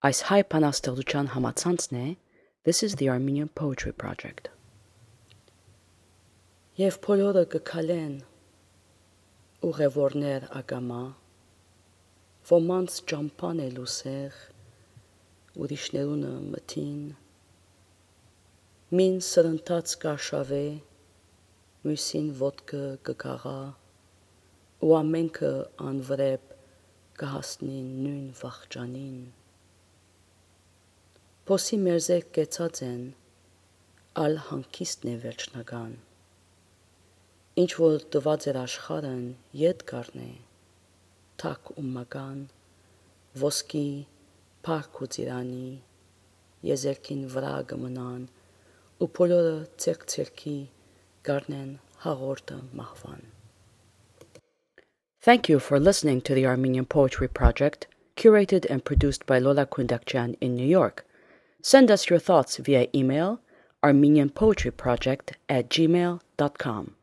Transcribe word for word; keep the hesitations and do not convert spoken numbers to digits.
Այս հայ բանաստեղծության համացանցն է This is the Armenian Poetry Project. Եվ բոլորը կքալեն ուղևորներ ակամա, ոմանց ճամփան է լուսեղ, ուրիշներունը մթին, մին սրընթաց կաշավե, մյուսին ոտքը կգաղա, ու ամենքը անվրեպ կհասնին նույն վախճանին։ Փոսի մերձեք կեցած են, ալ հանգիստն է վերջնական, ինչ որ տված էր աշխարհն ետ կառնե, թակ ու մական, ոսկի, փառք ու ծիրանի, եզերքին վրա կմնան, ու բոլորը ցերկ-ցերքի կառնեն հաղորդը մահվան։ Thank you for listening to the Armenian Poetry Project, curated and produced by Lola Kundakjian in New York. Send us your thoughts via email armenian poetry project at gmail dot com.